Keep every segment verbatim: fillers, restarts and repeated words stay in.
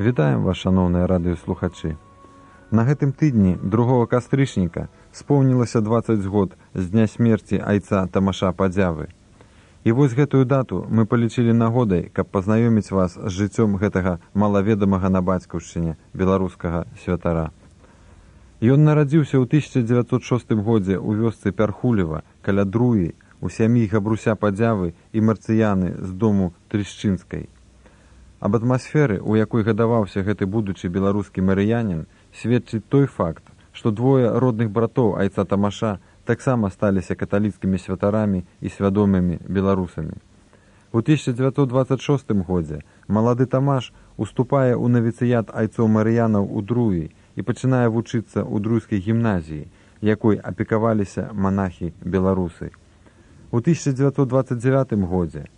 Вітаем вас, шаноўныя радыёслухачы. На гэтым тыдні другога кастрычніка споўнілася дваццаць год з дня смерці айца Тамаша Падзявы. І вось гэтую дату мы палічылі нагодай, каб пазнаёміць вас з жыццём гэтага малаведамага на бацькаўшчыне беларускага святара. Ён нарадзіўся ў тысяча дзевяцьсот шостым годзе ў вёсцы Пярхулева каля Друі у сям'і Габруся Падзявы і Марцыяны з дому Трышчынскай. Аб атмасферы, у якой гадаваўся гэты будучы беларускі марыянін, сведчыць той факт, што двое родных братоў айца Тамаша таксама сталіся каталіцкімі святарамі і свядомымі беларусамі. У тысяча дзевяцьсот дваццаць шостым годзе малады Тамаш уступае ў навіцыят айцоў марыянаў у Друі і пачынае вучыцца ў друйскай гімназіі, якой апекаваліся манахі-беларусы. У тысяча дзевяцьсот дваццаць дзевятым годзе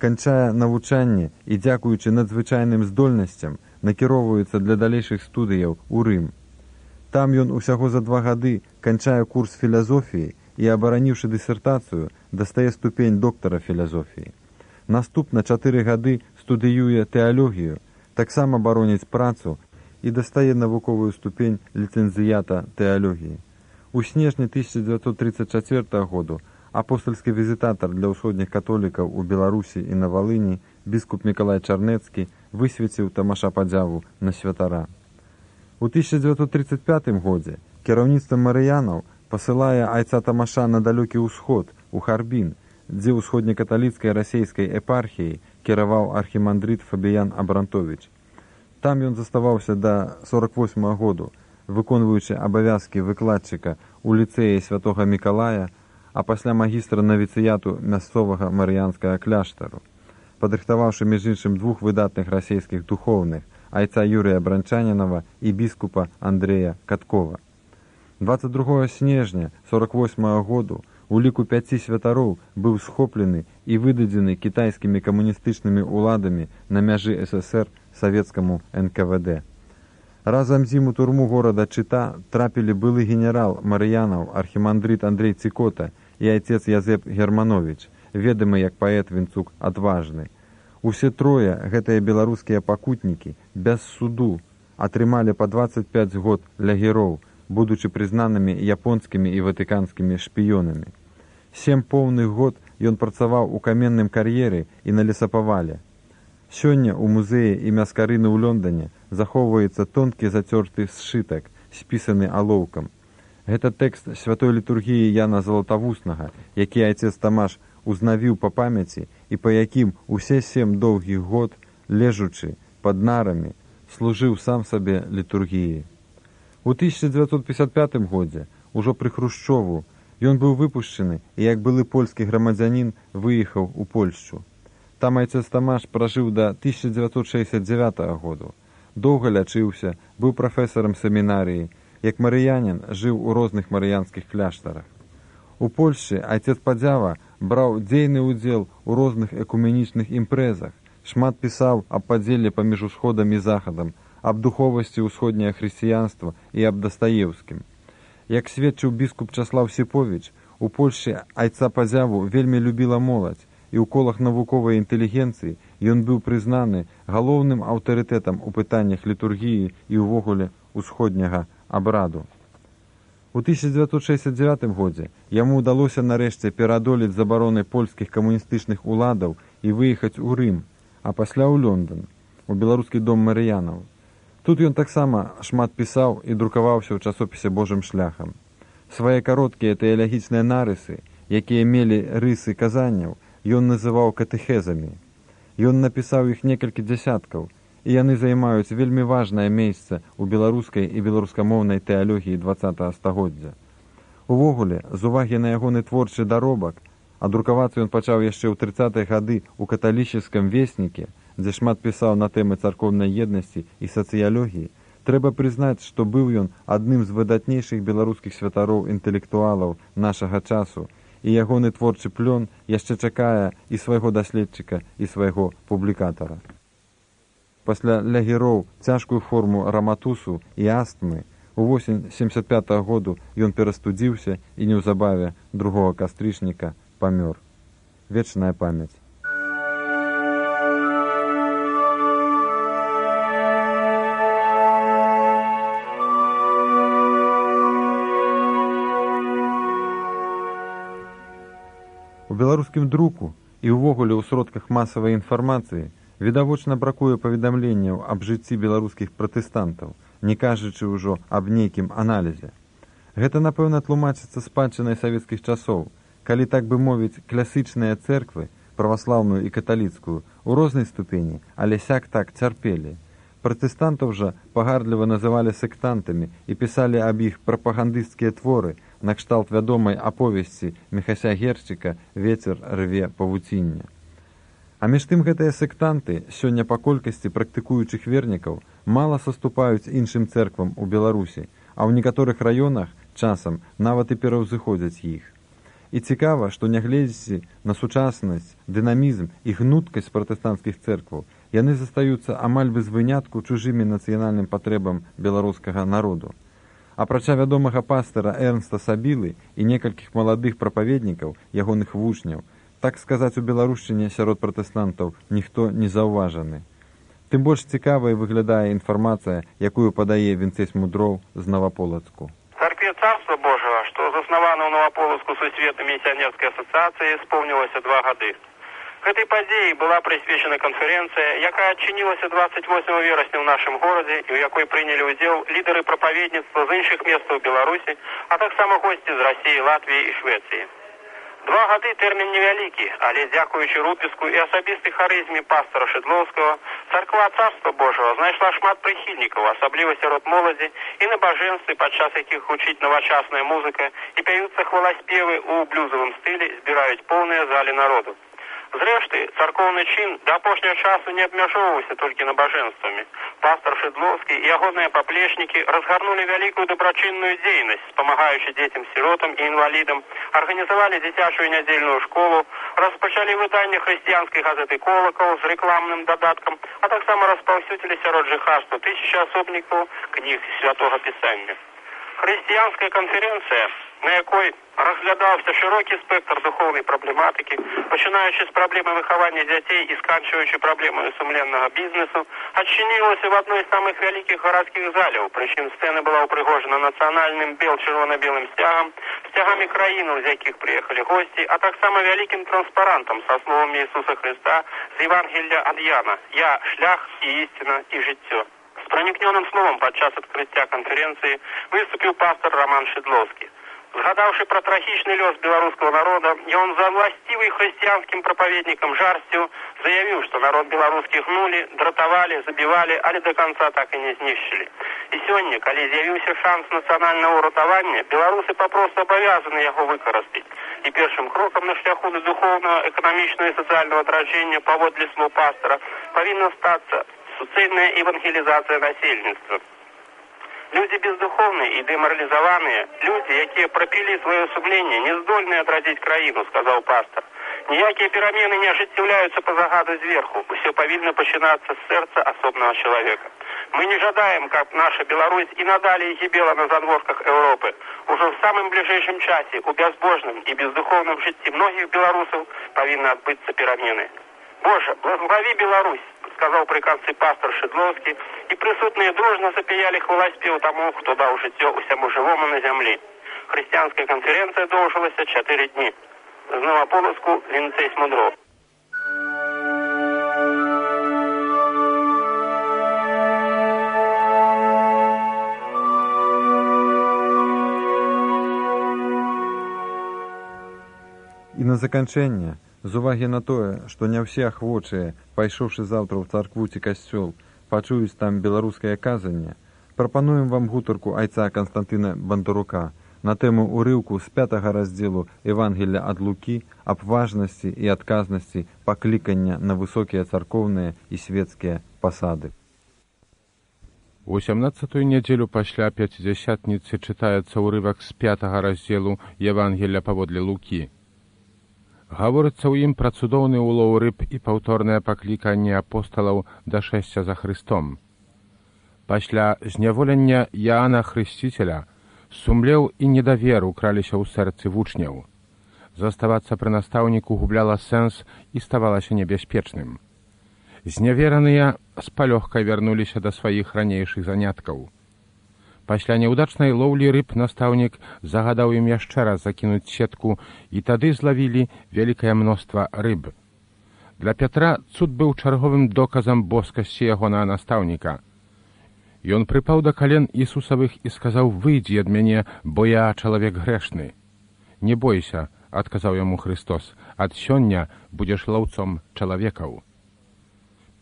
канчае навучанне і, дзякуючы надзвычайным здольнасцям, накіроўваецца для далейшых студыяў у Рым. Там ён усяго за два гады канчае курс філазофіі і, абараніўшы дысертацыю, дастае ступень доктара філазофіі. Наступна чатыры гады студыюе тэалогію, таксама бароніць працу і дастае навуковую ступень ліцэнзіята тэалогіі. У снежні тысяча дзевяцьсот трыццаць чацвёртага году апостальскі візітатар для ўсходніх католікаў у Беларусі і на Валыні біскуп Мікалай Чарнецкі высвеціў Тамаша Падзяву на святара. У тысяча дзевяцьсот трыццаць пятым годзе кіраўніцтва марыянаў пасылае айца Тамаша на далёкі ўсход, у Харбін, дзе ўсходнекаталіцкай расейскай епархіяй кіраваў архімандрыт Фабіян Абрантовіч. Там ён заставаўся да сорак восьмага году, выконваючы абавязкі выкладчыка ў ліцэі святога Мікалая, а пасля магістра навіцыяту мясцовага марыянскага кляштару, падрыхтаваўшы між іншым двух выдатных расійскіх духоўных, айца Юрыя Бранчанінава і біскупа Андрэя Каткова. дваццаць другога снежня сорак восьмага году у ліку пяці святароў быў схоплены і выдадзены кітайскімі камуністычнымі ўладамі на мяжы эс эс ер савецкаму эн ка вэ дэ. Разам з ім у турму горада Чыта трапілі былы генерал марыянаў архімандрыт Андрэй Цікота і айцец Язэп Германовіч, ведамы як паэт Вінцук Адважны. Усе трое, гэтыя беларускія пакутнікі, без суду атрымалі па дваццаць пяць год лягіроў, будучы прызнанымі японскімі і ватыканскімі шпіёнамі. Сем поўных год ён працаваў у каменным кар'еры і на лесапавале. Сёння ў музеі імя Скарыны ў Лондоне захоўваецца тонкі зацёрты сшытак, спісаны алоўкам. Гэта тэкст святой літургіі Яна Залатавуснага, які айцец Тамаш узнавіў па памяці і па якім усе сем доўгіх год, лежучы пад нарамі, служыў сам сабе літургіі. У тысяча дзевяцьсот пятьдесят пятым годзе, ужо пры Хрушчову, ён быў выпушчаны і, як былы польскі грамадзянін, выехаў у Польшчу. Там айцец Тамаш пражыў да тысяча дзевяцьсот шэсцьдзясят дзявятага году. Доўга лячыўся, быў прафесарам семінарыі, як марыянін жыў у розных марыянскіх кляштарах. У Польшчы айцец Падзява браў дзейны ўдзел у розных экуменічных імпрэзах, шмат пісаў аб падзеле паміж усходам і захадам, аб духовасці ўсходняе хрысціянства і аб Дастаеўскім. Як сведчыў біскуп Часлаў Сіповіч, у Польшчы айца Падзяву вельмі любіла моладзь, і ў колах навуковай інтэлігенцыі ён быў прызнаны галоўным аўтарытэтам у пытаннях літургіі і ўвогуле усходняга абраду. У тысяча дзевяцьсот шэсцьдзясят дзявятым годзе яму ўдалося нарэшце пераадолець забароны польскіх камуністычных уладаў і выехаць у Рым, а пасля ў Лондон, у беларускі дом марыянаў. Тут ён таксама шмат пісаў і друкаваўся ў часопісе Божым шляхам. Свае кароткія тэалагічныя нарысы, якія мелі рысы казанняў, ён называў катэхезамі. Ён напісаў іх некалькі дзясяткаў, і яны займаюць вельмі важнае месца ў беларускай і беларускамоўнай тэалогіі дваццатага стагоддзя. Увогуле, з увагі на ягоны творчы даробак, а друкавацца ён пачаў яшчэ ў трыццатыя гады ў каталічыцкім весніке, дзе шмат пісаў на тэмы царкоўнай еднасці і сацыялогіі, трэба прызнаць, што быў ён адным з выдатнейшых беларускіх святароў інтэлектуалаў нашага часу, і ягоны творчы плён яшчэ чакае і свайго даследчыка, і свайго публікатара. Пасля лягіроў, цяжкую форму раматусу і астмы, увосень семьдесят пятага году ён перастудзіўся і неўзабаве другога кастрычніка памёр. Вечная памяць. У беларускім друку і ўвогуле ў сродках масавай інфармацыі відавочна бракуе паведамленняў аб жыцці беларускіх пратэстантаў, не кажучы ўжо аб нейкім аналізе. Гэта, напэўна, тлумачыцца спадчынай савецкіх часоў, калі, так бы мовіць, класычныя цэрквы, праваслаўную і каталіцкую, у рознай ступені, але сяк-так цярпелі. Пратэстантаў жа пагардліва называлі сектантамі і пісалі аб іх прапагандысцкія творы, накшталт вядомай аповесці Міхася Герчыка «Вецер рве павуціння». А між тым гэтыя сектанты, сёння па колькасці практыкуючых вернікаў, мала саступаюць іншым цэрквам у Беларусі, а ў некаторых раёнах часам нават і пераўзыходзяць іх. І цікава, што нягледзячы на сучаснасць, дынамізм і гнуткасць пратэстанцкіх цэркваў, яны застаюцца амаль без вынятку чужымі нацыянальным патрэбам беларускага народу. Апрача вядомага пастара Эрнста Сабілы і некалькіх маладых прапаведнікаў, ягоных вучняў, так сказаць, у беларушчыне сярод пратэстантаў ніхто не заўважаны. Тым больш цікавай выглядае інфармацыя, якую падае Вінцэсь Мудроў з Новаполацку. Царкве Царства Божьего, што заснавана ў Новаполацку сусветнай місіянерскай асацыяцыі, споўнілася два гады. Гэтай падзеі была прысвечана канферэнцыя, якая адчынілася двадцать восьмого верасня ў нашым горадзе і ў якой прынялі ўдзел лідары прапаведніцтва з іншых месцаў Беларусі, а таксама госці з Расіі, Латвіі і Швецыі. Два гады тэрмін невялікі, але дзякуючы рупіску і асабістай харызме пастора Шыдлоўскага, царква Царства Божьего знайшла шмат прыхільнікаў, асабліва сярод моладзі і набажэнствы, падчас якіх гучыць навачасная музыка і пяюцца хваласпевы ў блюзавым стылі, збіраюць поўныя залі народу. Зрэшты, царкоўны чын да апошняга часу не абмяжоўваўся толькі набажэнствамі. Пастор Шыдлоўскі і ягоныя паплечнікі разгарнулі вялікую дабрачынную дзейнасць, спамагаючы дзецям-сіротам і інвалідам, арганізавалі дзіцячую нядзельную школу, распачалі выданне хрысціянскай газеты «Колакаў» з рэкламным дадаткам, а таксама распаўсюдзілі сярод жыхарства тысячы асобнікаў кніг святога пісання. Хрысціянская канферэнцыя, на якой разглядаўся шырокі спектр духоўнай праблематыкі, пачынаючы з праблемы выхавання дзяцей і сканчваючы праблемамі сумленнага бізнесу, адчынілася в адной з самых вялікіх гарадскіх заляў, прычым сцэна была ўпрыгожана нацыянальным бел-чырвона-белым сцягам, сцягамі краінаў, з якіх прыехалі госці, а таксама вялікім транспарантам са словамі Ісуса Хрыста з Евангелля ад Яна «Я – шлях і ісціна і жыццё». З пранікнёным словам падчас адкрыцця канферэнцыі выступіў пастор Роман Шыдлоўскі. Згадаўшы пра трагічны лёс беларускага народа, ён за власцівай хрысціянскім прапаведнікам жарсцю заявіў, што народ беларускі гнулі, дратавалі, забівалі, але да канца так і не знішчылі. І сёння, калі з'явіўся шанс нацыянальнага ўратавання, беларусы папросту абавязаны яго выкарыстаць. І першым крокам на шляху да духоўнага, эканамічнага і сацыяльнага адраджэння, паводле слоў пастара, павінна стацца суцэльная евангелізацыя насельніцтва. Люди бездуховные и деморализованные, люди, якія пропили свое сумление, не здольны адрадзіць краіну, сказал пастор. Ніякія перамены не ажыццяўляюцца по загаду зверху, усё павінна пачынацца з сэрца асобнага чалавека. Мы не жадаем, каб наша Беларусь и надалей гібела на задворках Европы. Уже в самым ближайшем часе у безбожным и бездуховном житті многих белорусов павінны адбыцца перамены. Боже, благослови Беларусь, сказал при конце пастор Шыдлоўскі, и присутные дружно запяяли хваласпеў тому, кто дал жыццё усяму живому на земле. Христианская конференция доўжылася четыре дни. З Новаполацку Вінцэсь Мудроў. І на заканчэнне, з увагі на тое, што не ўсе ахвочыя, пайшоўшы заўтра ў царкву ці касцёл, пачуюць там беларускае казанне, прапануем вам гутарку айца Канстантына Бандарука на тэму урыўку з пятага раздзелу Евангелля ад Лукі аб важнасці і адказнасці паклікання на высокія царкоўныя і свецкія пасады. У сямнаццатую нядзелю пасля пяцідзясятніцы чытаецца ўрывак з пятага раздзелу Евангелля паводле Лукі. Гаворыцца ў ім пра цудоўны улоў рыб і паўторнае пакліканне апосталаў да шэсця за Хрыстом. Пасля зняволення Яана Хрысціцеля сумлеў і недавер украліся ў сэрцы вучняў. Заставацца пры настаўніку губляла сэнс і ставалася небяспечным. Знявераныя з палёгкай вярнуліся да сваіх ранейшых заняткаў. Пасля няўдачнай лоўлі рыб настаўнік загадаў ім яшчэ раз закінуць сетку, і тады злавілі вялікае мноства рыб. Для Пятра цуд быў чарговым доказам боскасці ягонага настаўніка. Ён прыпаў да кален Ісусавых і сказаў: «Выйдзі ад мяне, бо я чалавек грэшны». «Не бойся», — адказаў яму Христос, «ад сёння будзеш лаўцом чалавекаў».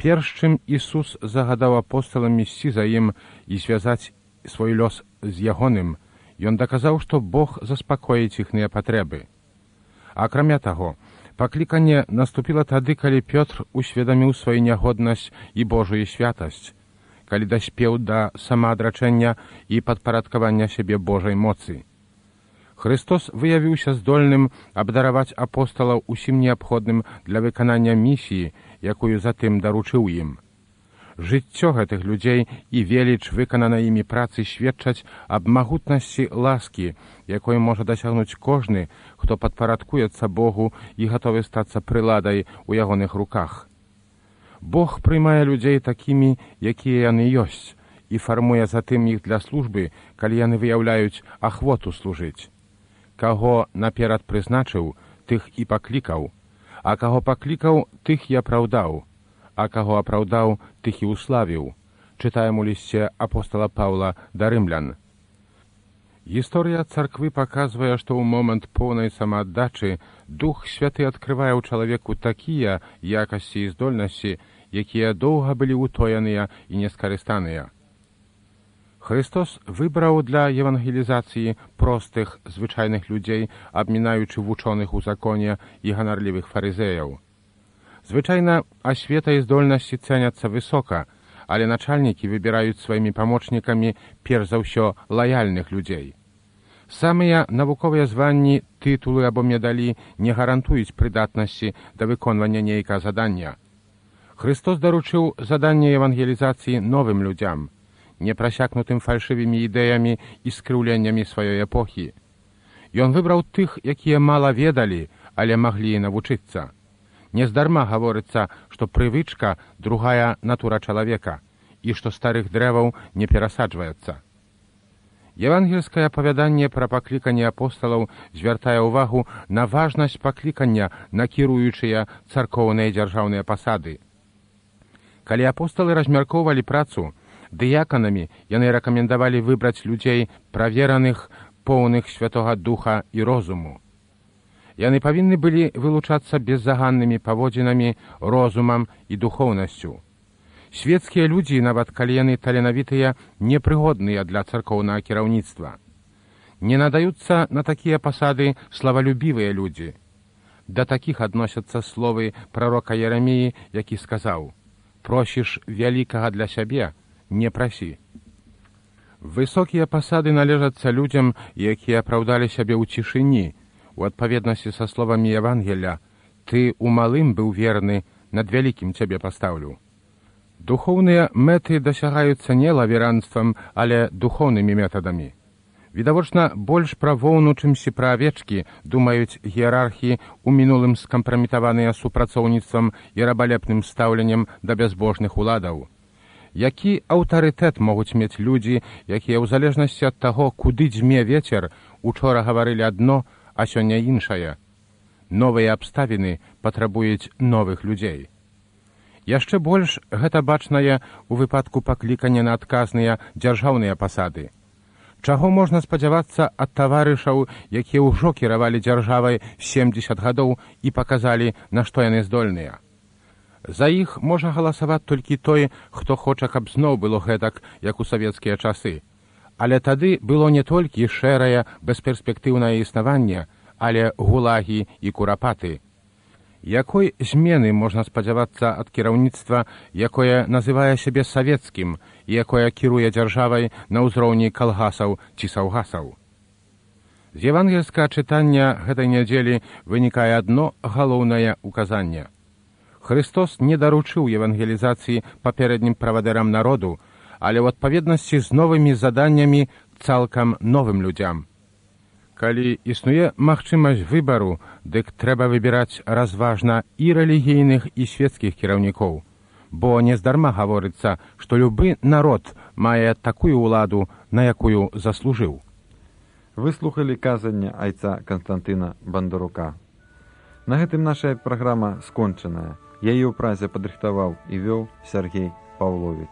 Перш чым Ісус загадаў апосталам ісці за ім і звязаць свой лёс з ягоным, ён даказаў, што Бог заспакоіць іхныя патрэбы. Акрамя таго, пакліканне наступіла тады, калі Пётр усведаміў сваю нягоднасць і Божую святасць, калі даспеў да самаадрачэння і падпарадкавання сябе Божай моцы. Христос выявіўся здольным абдараваць апосталаў усім неабходным для выканання місіі, якую затым даручыў ім. Жыццё гэтых людзей і веліч выкананай імі працы сведчаць аб магутнасці ласкі, якой можа дасягнуць кожны, хто падпарадкуецца Богу і гатовы стацца прыладай у ягоных руках. Бог прымае людзей такімі, якія яны ёсць, і фармуе затым іх для службы, калі яны выяўляюць ахвоту служыць. Каго наперад прызначыў, тых і паклікаў, а каго паклікаў, тых і апраўдаў, а каго апраўдаў, тых і ўславіў. Чытаем у лісце апостала Паўла да рымлян. Гісторыя царквы паказвае, што ў момант поўнай самааддачы Дух Святы адкрывае ў чалавеку такія якасці і здольнасці, якія доўга былі ўтояныя і нескарыстаныя. Христос выбраў для евангелізацыі простых, звычайных людзей, абмінаючы вучоных у законе і ганарлівых фарызеяў. Звычайна, асвета і здольнасці цэняцца высока, але начальнікі выбіраюць сваімі памочнікамі перш за ўсё лаяльных людзей. Самыя навуковыя званні, тытулы або медалі не гарантуюць прыдатнасці да выконвання нейкага задання. Христос даручыў заданне евангелізацыі новым людзям, не прасякнутым фальшывымі ідэямі і скрыўленнямі сваёй эпохі. Ён выбраў тых, якія мала ведалі, але маглі навучыцца. Нездарма гаворыцца, што прывычка – другая натура чалавека, і што старых дрэваў не перасаджваецца. Евангельскае апавяданне пра пакліканне апосталаў звяртае ўвагу на важнасць паклікання на кіруючыя царкоўныя дзяржаўныя пасады. Калі апосталы размяркоўвалі працу, дыяканамі яны рэкамендавалі выбраць людзей правераных, поўных Святога Духа і розуму. Яны павінны былі вылучацца беззаганнымі паводзінамі, розумам і духоўнасцю. Свецкія людзі, нават калі яны таленавітыя, непрыгодныя для царкоўнага кіраўніцтва. Не надаюцца на такія пасады славалюбівыя людзі. Да такіх адносяцца словы прарока Ераміі, які сказаў: «Просіш вялікага для сябе, не прасі». Высокія пасады належацца людзям, якія апраўдалі сябе ў цішыні, у адпаведнасці са словамі Евангелля: «Ты у малым быў верны, над вялікім цябе пастаўлю». Духоўныя мэты дасягаюцца не лаверанствам, але духоўнымі метадамі. Відавочна, больш пра воўну, чымсьці пра авечкі, думаюць іерархі, у мінулым скампраметаваныя супрацоўніцтвам і рабалепным стаўленнем да бязбожных уладаў. Які аўтарытэт могуць мець людзі, якія ў залежнасці ад таго, куды дзьме вецер, учора гаварылі адно, а сёння іншае? Новыя абставіны патрабуюць новых людзей. Яшчэ больш гэта бачнае ў выпадку паклікання на адказныя дзяржаўныя пасады. Чаго можна спадзявацца ад таварышаў, якія ўжо кіравалі дзяржавай семдзесят гадоў і паказалі, на што яны здольныя? За іх можа галасаваць толькі той, хто хоча, каб зноў было гэтак, як у савецкія часы. Але тады было не толькі шэрае, бесперспектыўнае існаванне, але гулагі і курапаты. Якой змены можна спадзявацца ад кіраўніцтва, якое называе сябе савецкім і якое кіруе дзяржавай на ўзроўні калгасаў ці саўгасаў? З евангельскага чытання гэтай нядзелі вынікае адно галоўнае указанне. Христос не даручыў евангелізацыі папярэднім правадырам народу, але ў адпаведнасці з новымі заданнямі цалкам новым людзям. Калі існуе магчымасць выбару, дык трэба выбіраць разважна і рэлігійных, і свецкіх кіраўнікоў, бо нездарма гаворыцца, што любы народ мае такую ўладу, на якую заслужыў. Вы слухалі казанне айца Канстантына Бандарука. На гэтым наша праграма скончаная. Яе ў празе падрыхтаваў і вёў Сяргей Паўловіч.